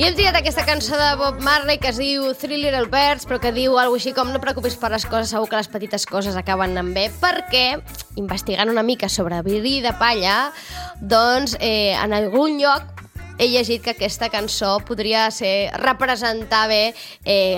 I hem triat aquesta cançó de Bob Marley que es diu Three Little Birds, però que diu alguna així com no preocupis per les coses, segur que les petites coses acaben anant bé, perquè, investigant una mica sobre bri de palla, doncs en algun lloc he llegit que aquesta cançó podria representar bé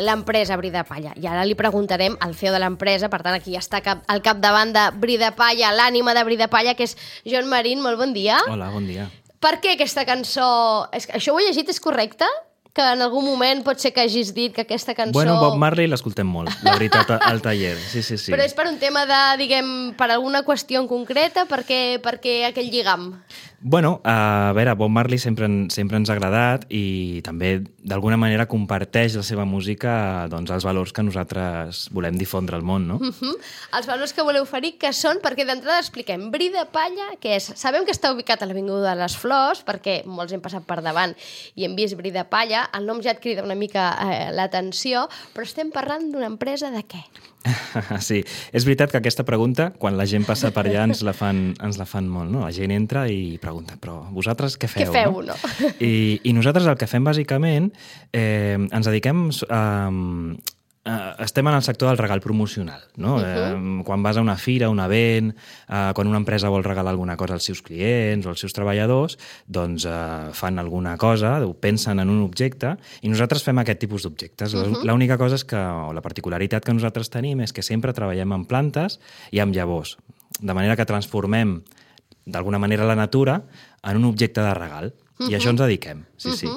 l'empresa Bri de Palla. I ara li preguntarem al CEO de l'empresa, per tant aquí ja està al capdavant de Bri de Palla, l'ànima de Bri de Palla, que és Jon Marín. Molt bon dia. Hola, bon dia. Per què aquesta cançó... Això ho he llegit, és correcte? Que en algun moment pot ser que hagis dit que aquesta cançó... Bueno, Bob Marley l'escoltem molt, la veritat, al taller. Sí. Però és per un tema de, diguem, per alguna qüestió en concreta? Per què aquell lligam? Bueno, a veure, Bob Marley sempre ens ha agradat i també d'alguna manera comparteix la seva música, doncs, els valors que nosaltres volem difondre al món, no? Els valors que voleu oferir, que són, perquè d'entrada expliquem, Bri de Palla, què és? Sabem que està ubicat a l'Avinguda de les Flors, perquè molts hem passat per davant i hem vist Bri de Palla, el nom ja et crida una mica l'atenció, però estem parlant d'una empresa de què? Sí, és veritat que aquesta pregunta, quan la gent passa per allà, ens la fan molt, no? La gent entra i pregunta, però vosaltres què feu? Què feu, no? I nosaltres el que fem, bàsicament, ens dediquem estem en el sector del regal promocional, no? Quan vas a una fira, un event, quan una empresa vol regalar alguna cosa als seus clients o als seus treballadors, doncs fan alguna cosa, pensen en un objecte, i nosaltres fem aquest tipus d'objectes. L'única cosa és que, o la particularitat que nosaltres tenim és que sempre treballem amb plantes i amb llavors, de manera que transformem d'alguna manera la natura en un objecte de regal. I a això ens dediquem, sí.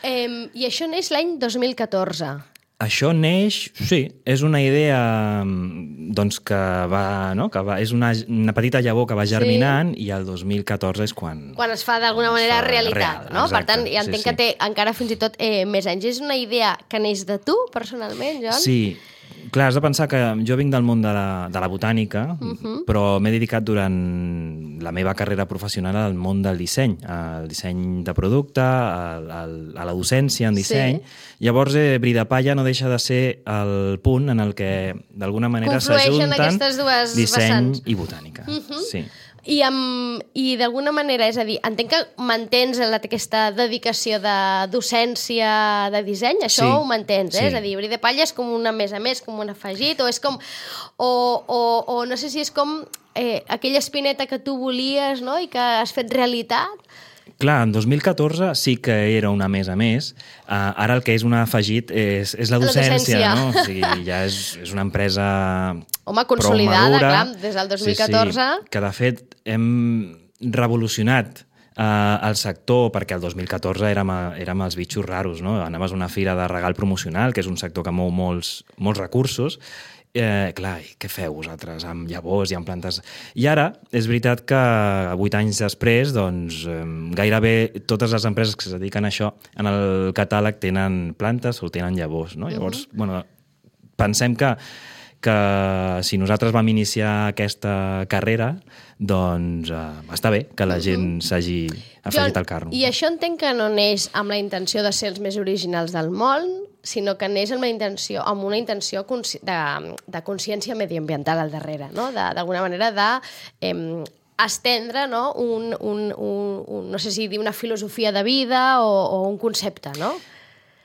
I això neix l'any 2014. Això neix, sí, és una idea doncs, que va, és una petita llavor que va germinant i el 2014 és quan es fa d'alguna manera realitat, no? Exacte, per tant, ja entenc que té encara fins i tot més anys. És una idea que neix de tu, personalment, Jon? Sí. Clar, has de pensar que jo vinc del món de la botànica, però m'he dedicat durant la meva carrera professional al món del disseny, al disseny de producte, a la docència en disseny. Sí. Llavors, Bri de Palla no deixa de ser el punt en el que, d'alguna manera, s'ajunten disseny i botànica. Sí. I d'alguna manera, és a dir, entenc que mantens aquesta dedicació de docència de disseny, això ho mantens, eh? Sí. És a dir, Bri de Palla és com una més a més, com un afegit, o és com... O no sé si és com aquella espineta que tu volies, no?, i que has fet realitat. Clar, en 2014 sí que era una més a més. Ara el que és un afegit és la docència, no? O sigui, ja és una empresa... Home, consolidada, clar, des del 2014. Sí, que de fet hem revolucionat el sector, perquè el 2014 érem els bitxos raros, no? Anaves a una fira de regal promocional, que és un sector que mou molts recursos. Clar, què feu vosaltres amb llavors i amb plantes? I ara, és veritat que 8 anys després, doncs, gairebé totes les empreses que es dediquen a això en el catàleg tenen plantes o tenen llavors, no? Llavors, bueno, pensem que si nosaltres vam iniciar aquesta carrera, doncs està bé que la gent s'hagi afegit al carro. I això entenc que no neix amb la intenció de ser els més originals del món, sinó que neix amb una intenció de consciència mediambiental al darrere, no? D'alguna manera d'estendre, no? No sé si dir una filosofia de vida o un concepte, no?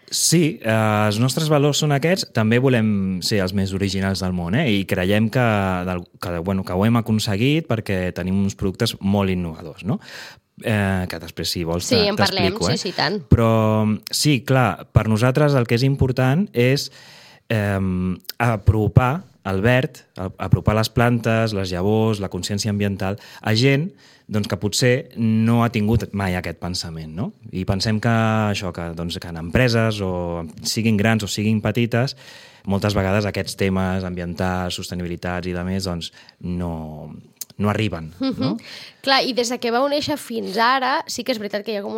Sí, els nostres valors són aquests. També volem ser els més originals del món, i creiem que ho hem aconseguit perquè tenim uns productes molt innovadors, no? Que després, si vols, t'explico. Sí, en parlem, sí, tant. Però sí, clar, per nosaltres el que és important és apropar el verd, apropar les plantes, les llavors, la consciència ambiental a gent doncs, que potser no ha tingut mai aquest pensament, no? I pensem que això, que en empreses, o siguin grans o siguin petites, moltes vegades aquests temes ambientals, sostenibilitats i demés, doncs no arriben, no? Clar, i des que vau néixer fins ara, sí que és veritat que hi ha hagut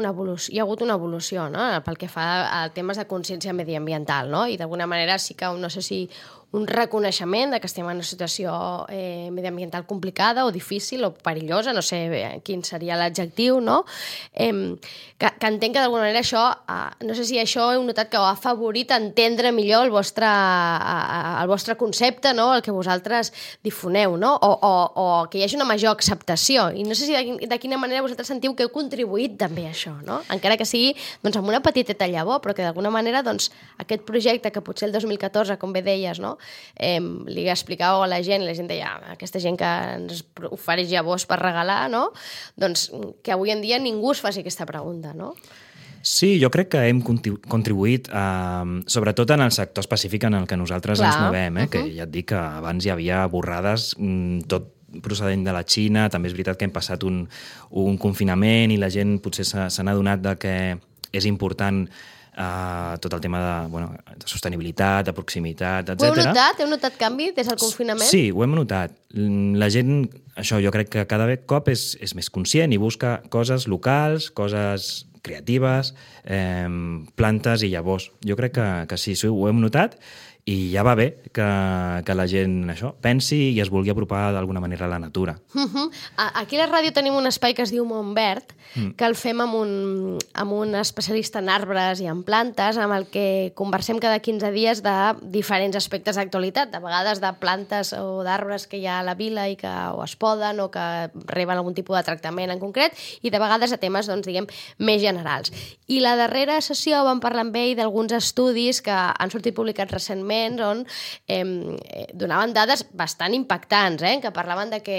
una evolució, no?, pel que fa a temes de consciència mediambiental, no? I d'alguna manera sí que, no sé si un reconeixement de que estem en una situació mediambiental complicada o difícil o perillosa, no sé quin seria l'adjectiu, no? Que entenc que d'alguna manera això, no sé si això heu notat que ho ha afavorit entendre millor el vostre concepte, no? El que vosaltres difoneu, no? O que hi hagi una major acceptació. I no sé si de quina manera vosaltres sentiu que heu contribuït també a això, no? Encara que sigui doncs, amb una petiteta llavor, però que d'alguna manera doncs, aquest projecte que potser el 2014, com bé deies, no? Li explicàveu a la gent, i la gent deia, aquesta gent que ens ofereix llavors per regalar, no? Doncs que avui en dia ningú es faci aquesta pregunta, no? Sí, jo crec que hem contribuït, sobretot en el sector específic en el que nosaltres ens movem, que ja et dic que abans hi havia borrades, tot procedent de la Xina, també és veritat que hem passat un confinament i la gent potser se n'ha adonat de que és important tot el tema de sostenibilitat, de proximitat, etc. Ho heu notat? Heu notat canvi des del confinament? Sí, ho hem notat. La gent, això jo crec que cada cop és més conscient i busca coses locals, coses creatives, plantes i llavors. Jo crec que sí, ho hem notat i ja va bé que la gent això pensi i es vulgui apropar d'alguna manera a la natura. Aquí a la ràdio tenim un espai que es diu Montverd, que el fem amb un especialista en arbres i en plantes, amb el que conversem cada 15 dies de diferents aspectes d'actualitat, de vegades de plantes o d'arbres que hi ha a la vila i que o es poden o que reben algun tipus de tractament en concret, i de vegades de temes, doncs, diguem, més generals. I la darrera sessió vam parlar amb ell d'alguns estudis que han sortit publicats recentment on donaven dades bastant impactants, que parlaven de que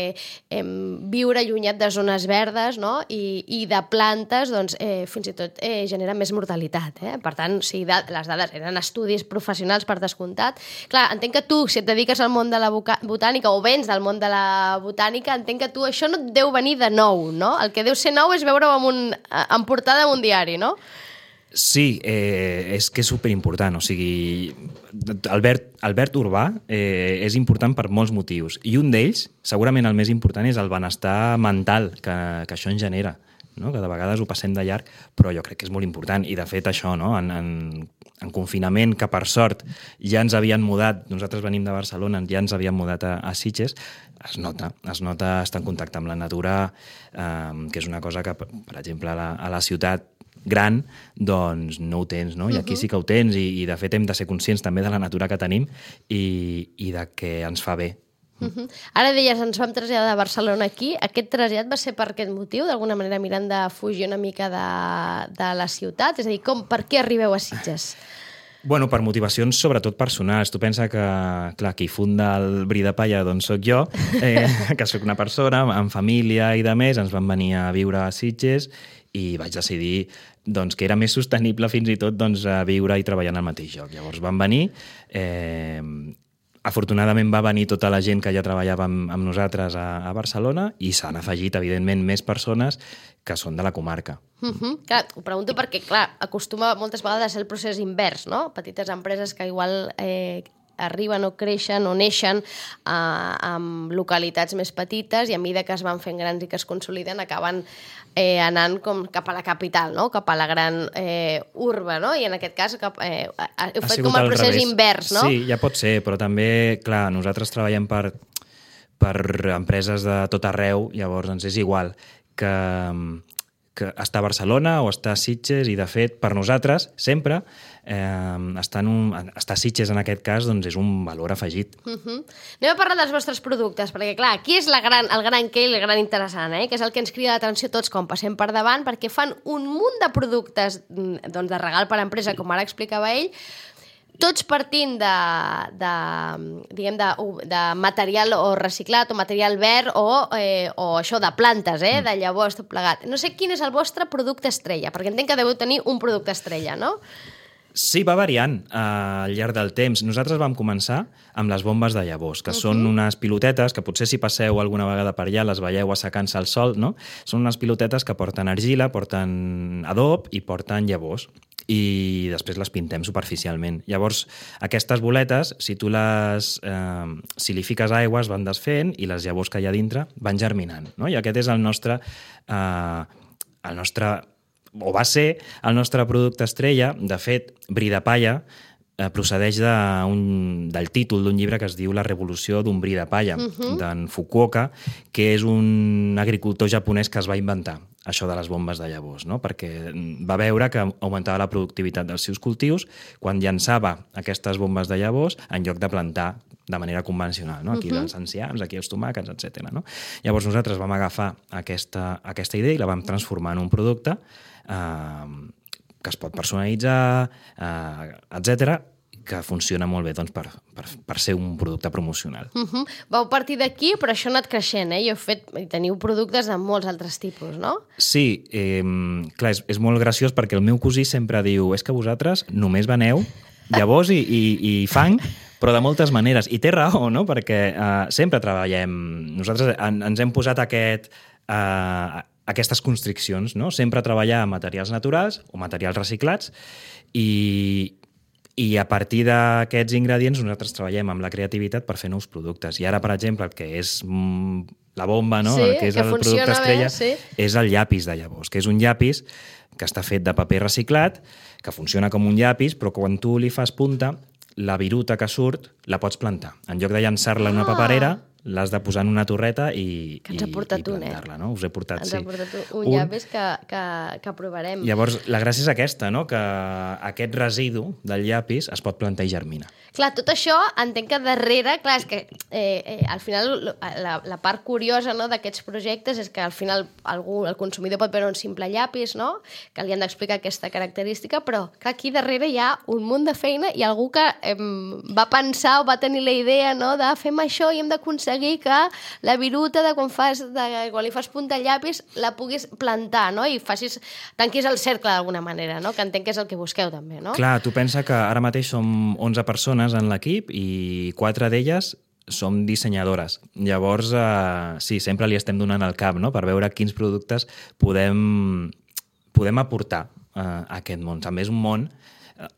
viure allunyat de zones verdes, no? I de plantes doncs, fins i tot genera més mortalitat. Per tant, si les dades eren estudis professionals per descomptat. Clar, entenc que tu, si et dediques al món de la botànica o vens del món de la botànica, entenc que tu això no et deu venir de nou, no? El que deu ser nou és veure-ho en portada d'un diari, no? Sí, és que és superimportant. O sigui, el verd urbà és important per molts motius. I un d'ells, segurament el més important, és el benestar mental que això en genera, no? Que de vegades ho passem de llarg, però jo crec que és molt important. I de fet això, no? En confinament, que per sort ja ens havien mudat, nosaltres venim de Barcelona, ja ens havien mudat a Sitges, es nota estar en contacte amb la natura, que és una cosa que, per exemple, a la ciutat gran, doncs no ho tens, no? I aquí sí que ho tens i de fet hem de ser conscients també de la natura que tenim i de que ens fa bé. Ara deies, ens vam traslladar de Barcelona aquí. Aquest trasllat va ser per aquest motiu, d'alguna manera mirant de fugir una mica de la ciutat? És a dir, per què arribeu a Sitges? Bueno, per motivacions sobretot personals. Tu pensa que, clar, qui funda el Bri de Palla doncs soc jo, que sóc una persona amb família i de més, ens vam venir a viure a Sitges i vaig decidir doncs, que era més sostenible fins i tot doncs, viure i treballar en el mateix lloc. Llavors vam venir, afortunadament va venir tota la gent que ja treballava amb nosaltres a Barcelona i s'han afegit, evidentment, més persones que són de la comarca. Clar, ho pregunto perquè, clar, acostuma moltes vegades a ser el procés invers, no? Petites empreses que igual arriben o creixen o neixen en localitats més petites i a mesura que es van fent grans i que es consoliden acaben anant com cap a la capital, no? Cap a la gran urba, no? I en aquest cas heu fet com el procés invers, no? Sí, ja pot ser, però també, clar, nosaltres treballem per empreses de tot arreu, llavors ens és igual que estar a Barcelona o estar a Sitges i, de fet, per nosaltres, sempre, estar a Sitges en aquest cas doncs és un valor afegit. Anem a parlar dels vostres productes, perquè, clar, aquí és el gran què i el gran interessant, que és el que ens crida l'atenció tots quan passem per davant, perquè fan un munt de productes doncs, de regal per a empresa, com ara explicava ell, tots partint de material o reciclat o material verd o això de plantes, de llavors, tot plegat. No sé quin és el vostre producte estrella, perquè entenc que deveu tenir un producte estrella, no? Sí, va variant al llarg del temps. Nosaltres vam començar amb les bombes de llavors, que són unes pilotetes que potser si passeu alguna vegada per allà les veieu assecant-se al sol, no? Són unes pilotetes que porten argila, porten adob i porten llavors. I després les pintem superficialment. Llavors, aquestes boletes, si li fiques aigua, es van desfent i les llavors que hi ha dintre van germinant, no? I aquest és el nostre o va ser el nostre producte estrella. De fet, Bri de Palla procedeix del títol d'un llibre que es diu La revolució d'un bri de palla, d'en Fukuoka, que és un agricultor japonès que es va inventar això de les bombes de llavors, no? Perquè va veure que augmentava la productivitat dels seus cultius quan llançava aquestes bombes de llavors en lloc de plantar de manera convencional, no? Aquí els enciams, aquí els tomàquets, etc. No? Llavors nosaltres vam agafar aquesta idea i la vam transformar en un producte que es pot personalitzar, etc, que funciona molt bé doncs, per ser un producte promocional. Vau partir d'aquí, però això ha anat creixent, i teniu productes de molts altres tipus, no? Sí, clar, és molt graciós perquè el meu cosí sempre diu és que vosaltres només veneu llavors i fang, però de moltes maneres. I té raó, no? Perquè sempre treballem... Nosaltres ens hem posat aquestes constriccions, no? Sempre treballar amb materials naturals o materials reciclats i a partir d'aquests ingredients nosaltres treballem amb la creativitat per fer nous productes. I ara, per exemple, el que és la bomba, no? Sí, el que és el producte estrella, sí. És el llapis de llavors, que és un llapis que està fet de paper reciclat, que funciona com un llapis, però quan tu li fas punta, la viruta que surt la pots plantar. En lloc de llançar-la en una paperera, l'has de posar en una torreta i plantar-la, no? Us he portat, sí. Ens ha portat un llapis que provarem. Llavors, la gràcia és aquesta, no? Que aquest residu del llapis es pot plantar i germina. Clar, tot això entenc que darrere, clar, és que al final la part curiosa, no, d'aquests projectes és que al final el consumidor pot veure un simple llapis, no? Que li han d'explicar aquesta característica, però clar, aquí darrere hi ha un munt de feina i algú que va pensar o va tenir la idea, no, de fem això i hem d'aconseguir que la viruta de quan li fas punta al llapis la puguis plantar, no? I tanquis el cercle d'alguna manera, no? Que entenc que és el que busqueu també, no? Clar, tu pensa que ara mateix som 11 persones en l'equip i 4 d'elles som dissenyadores. Llavors, sí, sempre li estem donant el cap, no? Per veure quins productes podem aportar a aquest món. També és un món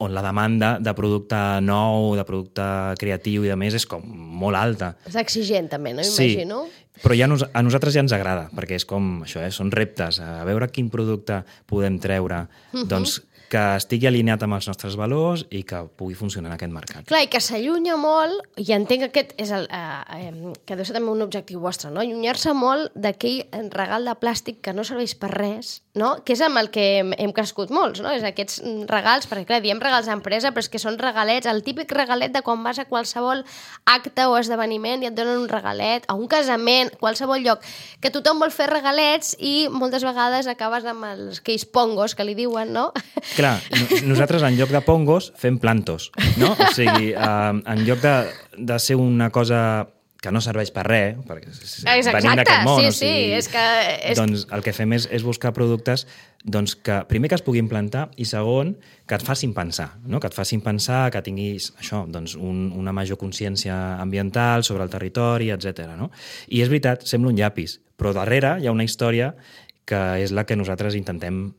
on la demanda de producte nou, de producte creatiu i de més és com molt alta. És exigent també, no? Imagino. Sí, però a nosaltres ja ens agrada, perquè és com això, són reptes, a veure quin producte podem treure, doncs que estigui alineat amb els nostres valors i que pugui funcionar en aquest mercat. Clar, i que s'allunya molt, i entenc que aquest és que deu ser també un objectiu vostre, no? Allunyar-se molt d'aquell regal de plàstic que no serveix per res, no? Que és amb el que hem crescut molts, no? És aquests regals, perquè clar, diem regals d'empresa, però és que són regalets, el típic regalet de quan vas a qualsevol acte o esdeveniment i et donen un regalet, a un casament, qualsevol lloc, que tothom vol fer regalets i moltes vegades acabes amb aquells pongos que li diuen, no? Clar, nosaltres en lloc de pongos fem plantos, no? O sigui, en lloc de ser una cosa que no serveix per res, perquè venim d'aquest món, sí, és que... doncs el que fem és buscar productes doncs, que primer que es puguin plantar i segon que et facin pensar, no? Que et facin pensar, que tinguis això, doncs, una major consciència ambiental sobre el territori, etc. No? I és veritat, sembla un llapis, però darrere hi ha una història que és la que nosaltres intentem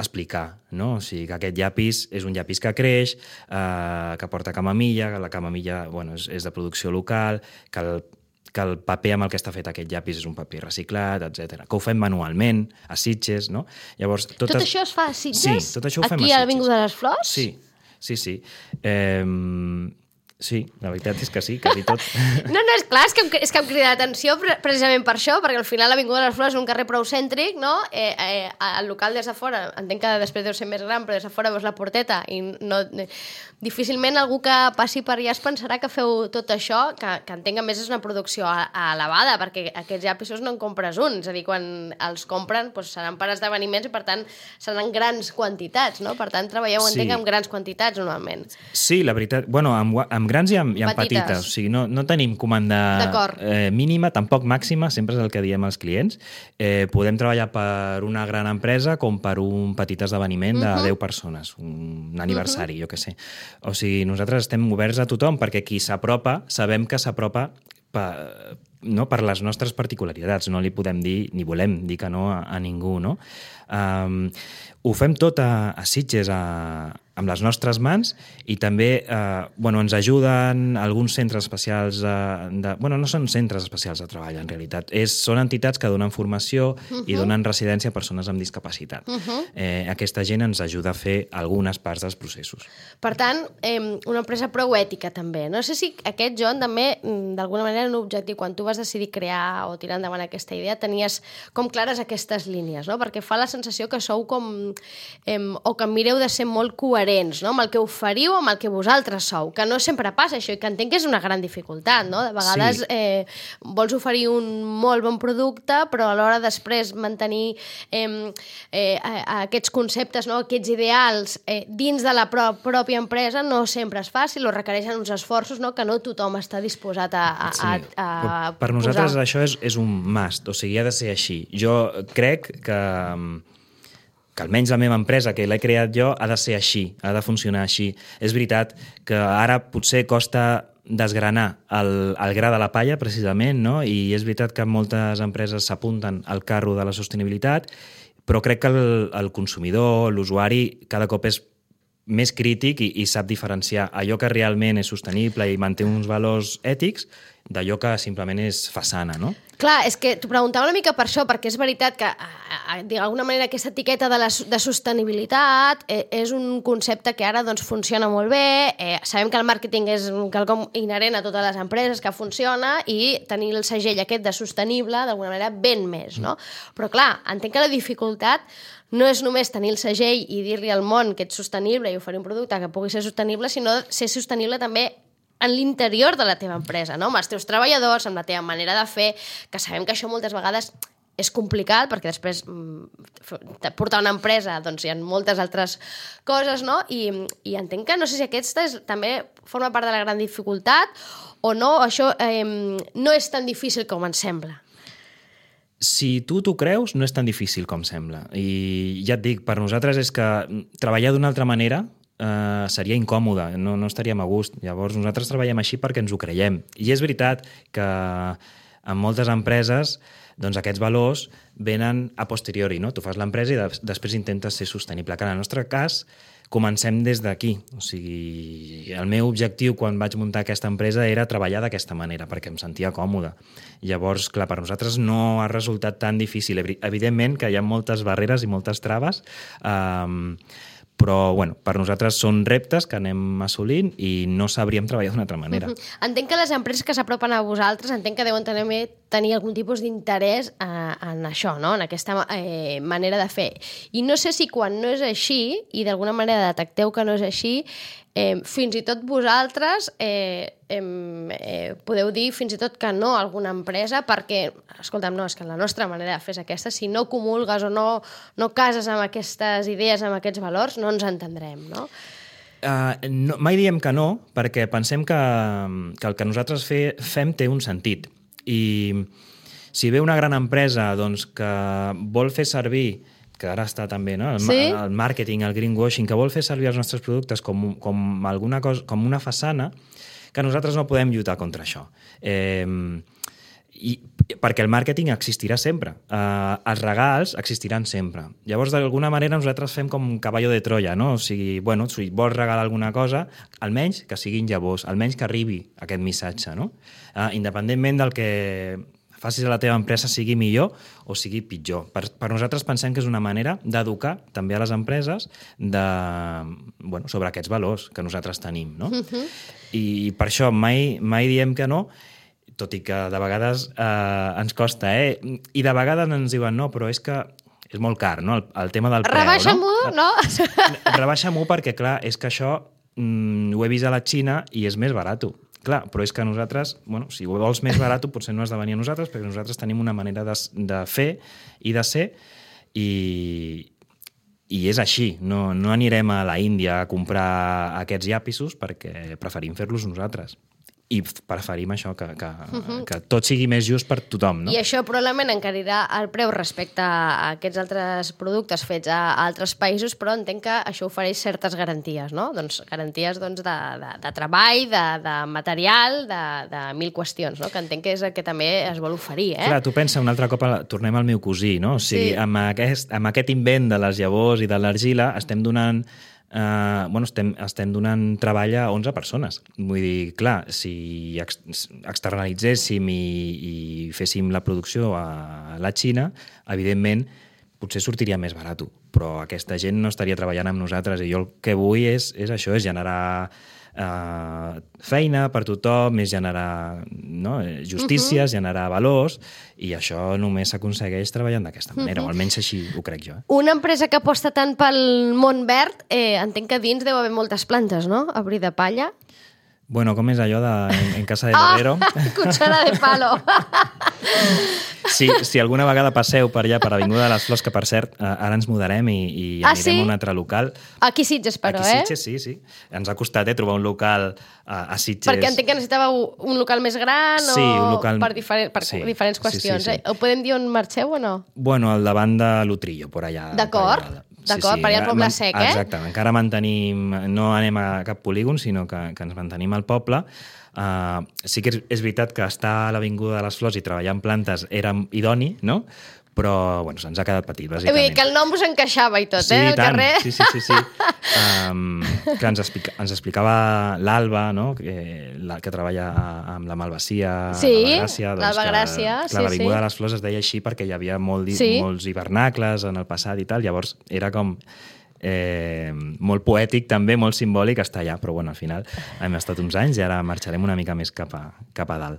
explicar, no? O sigui, que aquest llapis és un llapis que creix, que porta camamilla, que la camamilla és de producció local, que el paper amb el que està fet aquest llapis és un paper reciclat, etc. Que ho fem manualment, a Sitges, no? Llavors, tot això es fa a Sitges? Sí, tot això ho fem a Aquí Sitges. a l'Avinguda de les Flors? Sí. Sí, la veritat és que sí, quasi tot. No, és clar, és que em crida l'atenció precisament per això, perquè al final l'Avinguda de les Flors és un carrer prou cèntric, no? El local des de fora, entenc que després deu ser més gran, però des de fora veus la porteta i difícilment algú que passi per allà es pensarà que feu tot això, que entenc a més és una producció elevada, perquè aquests llapisos no en compres un, és a dir, quan els compren seran per esdeveniments i per tant seran grans quantitats, no? Per tant treballeu, entenc, amb grans quantitats normalment. Sí, la veritat, amb grans i amb petites. O sigui, no tenim comanda mínima, tampoc màxima, sempre és el que diem als clients. Podem treballar per una gran empresa com per un petit esdeveniment de 10 persones, un aniversari, jo què sé. O sigui, nosaltres estem oberts a tothom perquè qui s'apropa, sabem que s'apropa per les nostres particularitats. No li podem dir, ni volem dir que no a ningú, no? Ho fem tot a Sitges, amb les nostres mans i també ens ajuden alguns centres especials no són centres especials de treball en realitat, són entitats que donen formació i donen residència a persones amb discapacitat. Aquesta gent ens ajuda a fer algunes parts dels processos. Per tant, una empresa prou ètica també. No sé si aquest, Joan, també d'alguna manera en un objectiu, quan tu vas decidir crear o tirar endavant aquesta idea, tenies com clares aquestes línies, no? Perquè fa la sensació que sou com o que mireu de ser molt coherents, no? Amb el que oferiu, amb el que vosaltres sou, que no sempre passa això i que entenc que és una gran dificultat, no? De vegades vols oferir un molt bon producte, però alhora després mantenir aquests conceptes, no? Aquests ideals dins de la pròpia empresa no sempre és fàcil o requereixen uns esforços, no? Que no tothom està disposat a per nosaltres això és un must, o sigui, ha de ser així. Jo crec que almenys la meva empresa, que l'he creat jo, ha de ser així, ha de funcionar així. És veritat que ara potser costa desgranar el gra de la palla, precisament, no? I és veritat que moltes empreses s'apunten al carro de la sostenibilitat, però crec que el consumidor, l'usuari, cada cop és més crític i sap diferenciar allò que realment és sostenible i manté uns valors ètics d'allò que simplement és façana, no? Clar, és que t'ho preguntava una mica per això, perquè és veritat que, d'alguna manera, aquesta etiqueta de sostenibilitat és un concepte que ara doncs, funciona molt bé. Sabem que el màrqueting és quelcom inherent a totes les empreses que funciona i tenir el segell aquest de sostenible, d'alguna manera, ven més, no? Però, clar, entenc que la dificultat no és només tenir el segell i dir-li al món que ets sostenible i oferir un producte que pugui ser sostenible, sinó ser sostenible també en l'interior de la teva empresa, no? Amb els teus treballadors, amb la teva manera de fer, que sabem que això moltes vegades és complicat, perquè després portar una empresa doncs hi ha moltes altres coses, no? I entenc que no sé si aquesta també forma part de la gran dificultat o no, això no és tan difícil com ens sembla. Si tu t'ho creus, no és tan difícil com sembla. I ja et dic, per nosaltres és que treballar d'una altra manera seria incòmode, no estaríem a gust. Llavors nosaltres treballem així perquè ens ho creiem. I és veritat que en moltes empreses doncs aquests valors venen a posteriori, no? Tu fas l'empresa i després intentes ser sostenible. Que en el nostre cas comencem des d'aquí. O sigui, el meu objectiu quan vaig muntar aquesta empresa era treballar d'aquesta manera, perquè em sentia còmode. Llavors, clar, per nosaltres no ha resultat tan difícil. Evidentment que hi ha moltes barreres i moltes traves, però bueno, per nosaltres són reptes que anem assolint i no sabríem treballar d'una altra manera. Entenc que les empreses que s'apropen a vosaltres entenc que deuen tenir algun tipus d'interès en això, no? En aquesta manera de fer. I no sé si quan no és així, i d'alguna manera detecteu que no és així, fins i tot vosaltres podeu dir fins i tot que no a alguna empresa perquè, escolta'm, no, és que la nostra manera de fer és aquesta, si no comulgues o no cases amb aquestes idees, amb aquests valors, no ens entendrem, no? No, mai diem que no, perquè pensem que el que nosaltres fem té un sentit. I si ve una gran empresa doncs, que vol fer servir, que ara està també, no? El màrqueting, el greenwashing, que vol fer servir els nostres productes com alguna cosa, com una façana, que nosaltres no podem lluitar contra això. Perquè el màrqueting existirà sempre. Els regals existiran sempre. Llavors, d'alguna manera, nosaltres fem com un cavall de Troia, no? O sigui, bueno, si vols regalar alguna cosa, almenys que siguin llavors, almenys que arribi aquest missatge, no? Independentment del que facis a la teva empresa sigui millor o sigui pitjor. Per nosaltres pensem que és una manera d'educar també a les empreses sobre aquests valors que nosaltres tenim, no? I per això mai diem que no, tot i que de vegades ens costa, I de vegades ens diuen no, però és que és molt car, no? El tema del preu, Rebaixa-m'ho, no? Rebaixa-m'ho perquè, clar, és que això ho he vist a la Xina i és més barat. Clar, però és que nosaltres, si ho vols més barat, potser no has de venir a nosaltres, perquè nosaltres tenim una manera de fer i de ser i és així. No anirem a la Índia a comprar aquests llapisos perquè preferim fer-los nosaltres. I preferim això, que tot sigui més just per tothom, no? I això probablement encarirà el preu respecte a aquests altres productes fets a altres països, però entenc que això ofereix certes garanties, no? Doncs garanties de treball, de material, de mil qüestions, no? Que entenc que és el que també es vol oferir, Clar, tu pensa, un altre cop tornem al meu cosí, no? O sigui, amb aquest invent de les llavors i de l'argila estem donant estem donant treball a 11 persones. Vull dir, clar, si externalitzéssim i féssim la producció a la Xina, evidentment, potser sortiria més barat, però aquesta gent no estaria treballant amb nosaltres i jo el que vull és això, és generar feina per tothom, és generar justícia, generar valors, i això només s'aconsegueix treballant d'aquesta manera, o almenys així ho crec jo. Una empresa que aposta tant pel món verd, entenc que dins deu haver moltes plantes, no? A Bri de Palla. Bueno, com és allò en Casa de Herrero? Cuchara de palo. Si alguna vegada passeu per allà, per Avinguda de les Flors, que per cert, ara ens mudarem i anirem a un altre local. Aquí Sitges, però, Aquí Sitges, sí. Ens ha costat trobar un local a Sitges. Perquè entenc que necessitàveu un local més gran un local... per diferents qüestions. Sí. Ho podem dir on marxeu o no? Bueno, al davant de l'Utrillo, per allà. D'acord, per allà al Poble Sec, Exacte, encara mantenim... No anem a cap polígon, sinó que ens mantenim al poble. Sí que és veritat que estar a l'Avinguda de les Flors i treballar en plantes era idoni, no? Però se'ns ha quedat petit, bàsicament. Vull dir que el nom us encaixava i tot, el carrer. Sí. Que ens explicava l'Alba, no? que treballa amb la Malvasia, l'Alba Gràcia. L'Avinguda de les Flors es deia així perquè hi havia molts hivernacles en el passat i tal, llavors era com... molt poètic també, molt simbòlic estar allà, però al final hem estat uns anys i ara marxarem una mica més cap a dalt.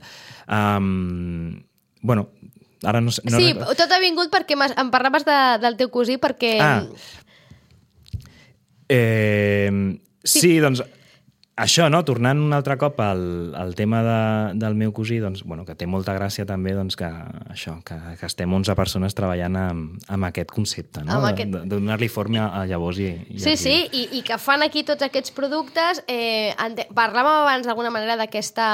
Ara no sé... Sí, tot ha vingut perquè em parlaves del teu cosí perquè... Sí, doncs això, no? Tornant un altre cop al tema del meu cosí, doncs, que té molta gràcia també que estem 11 persones treballant amb aquest concepte, no? De donar-li forma a llavors i i que fan aquí tots aquests productes. Parlàvem abans d'alguna manera d'aquest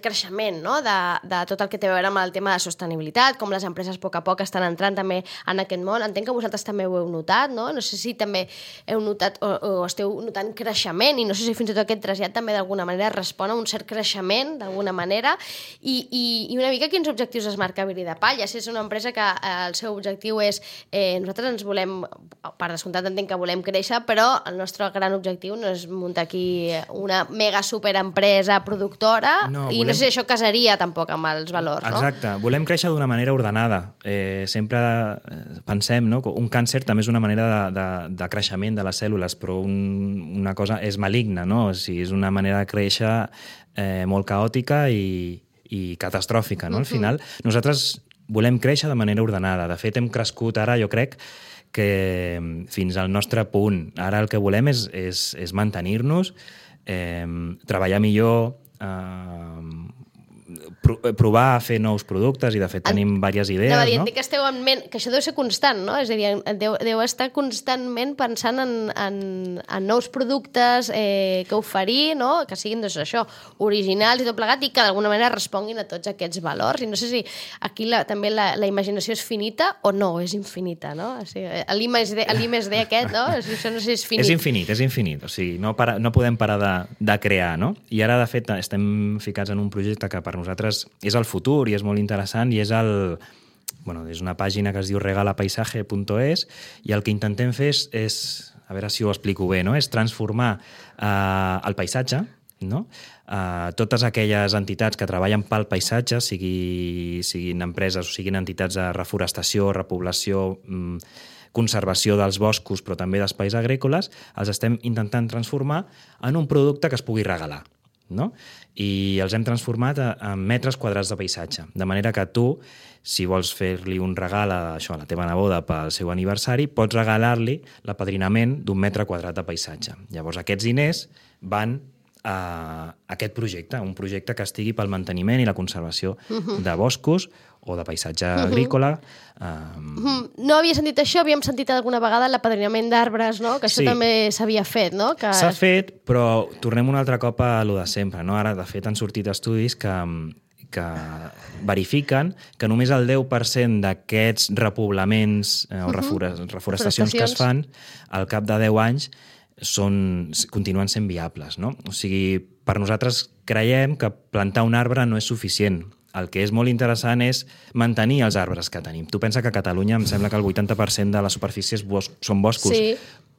creixement, no? De tot el que té a veure amb el tema de sostenibilitat, com les empreses a poc estan entrant també en aquest món. Entenc que vosaltres també ho heu notat, no? No sé si també heu notat o esteu notant creixement, i no sé si fins i tot aquest trasllat també d'alguna manera respon a un cert creixement d'alguna manera, i una mica quins objectius es marca Bri de Palla. Si és una empresa que el seu objectiu és nosaltres ens volem, per descomptat entenc que volem créixer, però el nostre gran objectiu no és muntar aquí una mega superempresa productora. No sé si això casaria tampoc amb els valors, no? Exacte, volem créixer d'una manera ordenada. Sempre pensem, no? Un càncer també és una manera de creixement de les cèl·lules, però una cosa és maligna, no? O sigui, és una manera de créixer molt caòtica i catastròfica, no? Al final, nosaltres volem créixer de manera ordenada. De fet, hem crescut ara, jo crec, que fins al nostre punt. Ara el que volem és mantenir-nos, treballar millor, provar a fer nous productes, i de fet tenim diverses idees, no? Entenc que esteu en ment, que això deu ser constant, no? És a dir, deu estar constantment pensant en nous productes que oferir, no? Que siguin això, originals i tot plegat, i que d'alguna manera responguin a tots aquests valors. I no sé si aquí també la imaginació és finita o no, és infinita, no? O sigui, l'I+D aquest, no? Això no sé si és finit. És infinit. O sigui, no podem parar de crear, no? I ara, de fet, estem ficats en un projecte que per nosaltres és el futur i és molt interessant, i és és una pàgina que es diu regalapaisaje.es, i el que intentem fer és, a veure si ho explico bé, no? És transformar el paisatge, no? Totes aquelles entitats que treballen pel paisatge, siguin empreses o siguin entitats de reforestació, repoblació, conservació dels boscos, però també d'espais agrícoles, els estem intentant transformar en un producte que es pugui regalar, no? I els hem transformat en metres quadrats de paisatge, de manera que tu, si vols fer-li un regal a la teva neboda pel seu aniversari, pots regalar-li l'apadrinament d'un metre quadrat de paisatge. Llavors aquests diners van a aquest projecte, un projecte que estigui pel manteniment i la conservació de boscos o de paisatge agrícola. No havia sentit això, havíem sentit alguna vegada l'apadrinament d'arbres, no? Que això també s'havia fet, no? S'ha fet, però tornem un altre cop a lo de sempre, no? Ara, de fet, han sortit estudis que verifiquen que només el 10% d'aquests repoblaments o reforestacions que es fan al cap de 10 anys continuen sent viables, no? O sigui, per nosaltres creiem que plantar un arbre no és suficient. El que és molt interessant és mantenir els arbres que tenim. Tu pensa que a Catalunya em sembla que el 80% de la superfície són boscos,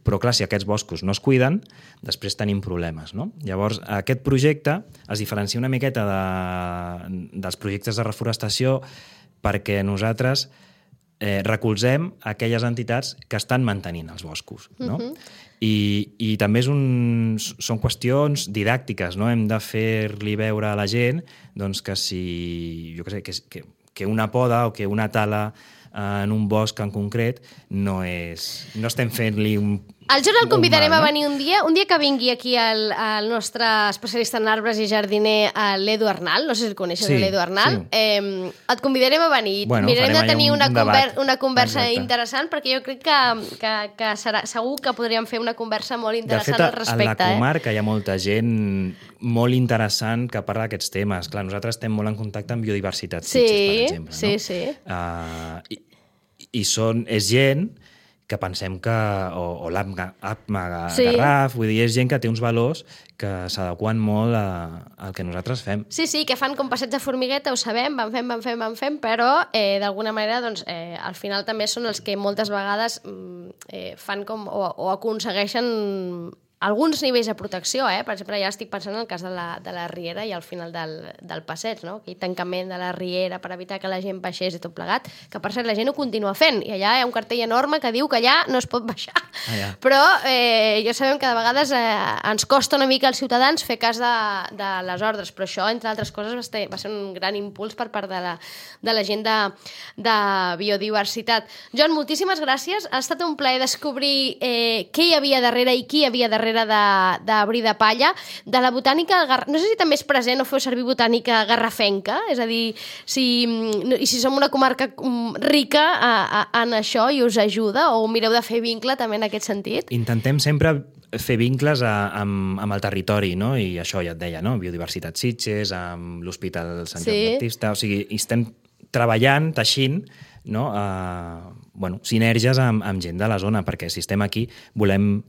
Però, clar, si aquests boscos no es cuiden, després tenim problemes, no? Llavors, aquest projecte es diferencia una miqueta dels projectes de reforestació perquè nosaltres recolzem aquelles entitats que estan mantenint els boscos, no? I també són qüestions didàctiques, no? Hem de fer-li veure a la gent doncs, que si, jo què sé, que una poda o que una tala en un bosc en concret no estem fent-li el Jon el convidarem a venir un dia que vingui aquí el nostre especialista en arbres i jardiner, l'Edu Arnal, no sé si el coneixes, l'Edu Arnal. Et convidarem a venir. Mirarem de tenir una conversa interessant, perquè jo crec que segur que podríem fer una conversa molt interessant al respecte. De fet, a la comarca hi ha molta gent molt interessant que parla d'aquests temes. Clar, nosaltres estem molt en contacte amb biodiversitat Sitges, per exemple. Sí. I és gent que pensem que... o l'Apma Garraf, vull dir, és gent que té uns valors que s'adequen molt al que nosaltres fem. Sí, que fan com passeig de formigueta, ho sabem, van fem, però d'alguna manera doncs, al final també són els que moltes vegades fan com o aconsegueixen alguns nivells de protecció, per exemple, ja estic pensant en el cas de la riera i al final del passeig, no? Aquell tancament de la riera per evitar que la gent baixés i tot plegat, que per cert la gent ho continua fent, i allà hi ha un cartell enorme que diu que allà no es pot baixar. Però ja sabem que de vegades ens costa una mica als ciutadans fer cas de les ordres, però això, entre altres coses, va ser un gran impuls per part de la gent de biodiversitat. Jon, moltíssimes gràcies. Ha estat un plaer descobrir què hi havia darrere i qui hi havia darrere de Bri de Palla, de la botànica, no sé si també és present o feu servir botànica garrafenca, és a dir, si som una comarca rica en això i us ajuda, o mireu de fer vincle també en aquest sentit? Intentem sempre fer vincles amb el territori, no? I això ja et deia, no? Biodiversitat Sitges, amb l'Hospital Sant Joan Baptista, o sigui, estem treballant, teixint, no? Sinergies amb gent de la zona, perquè si estem aquí volem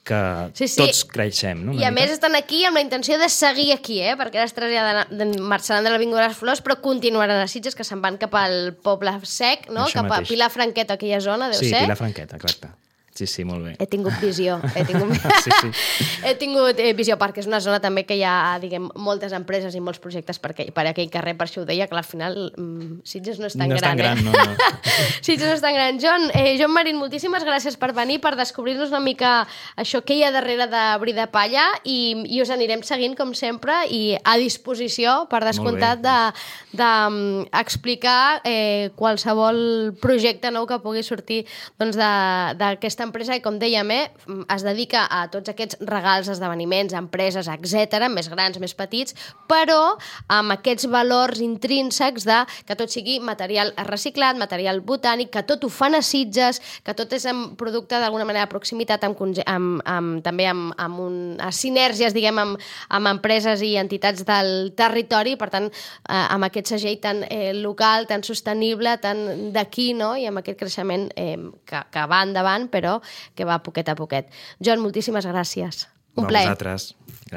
que tots creixem. No? I a més estan aquí amb la intenció de seguir aquí, perquè ara marxaran de l'Avinguda de les Flors, però continuaran a Sitges, que se'n van cap al Poble Sec, no? Cap a Pilar Franqueta, aquella zona, deu ser? Sí, Pilar Franqueta, exacte. Sí, molt bé. He tingut visió. He tingut visió, perquè és una zona també que hi ha, diguem, moltes empreses i molts projectes per aquell carrer, per això ho deia, que al final Sitges no és tan gran. No. Sitges no és tan gran. Jon Marín, moltíssimes gràcies per venir, per descobrir-nos una mica això que hi ha darrere de Bri de Palla, i us anirem seguint, com sempre, i a disposició, per descomptat, d'explicar qualsevol projecte nou que pugui sortir d'aquesta empresa, i com dèiem, es dedica a tots aquests regals, esdeveniments, empreses, etc, més grans, més petits, però amb aquests valors intrínsecs de que tot sigui material reciclat, material botànic, que tot ho fan a Sitges, que tot és un producte d'alguna manera de proximitat, també amb sinergies, diguem, amb empreses i entitats del territori, per tant, amb aquest segell tan local, tan sostenible, tan d'aquí, no? I amb aquest creixement que va endavant, però que va poquet a poquet. Jon, moltíssimes gràcies. Un plaer. A vosaltres. Gràcies.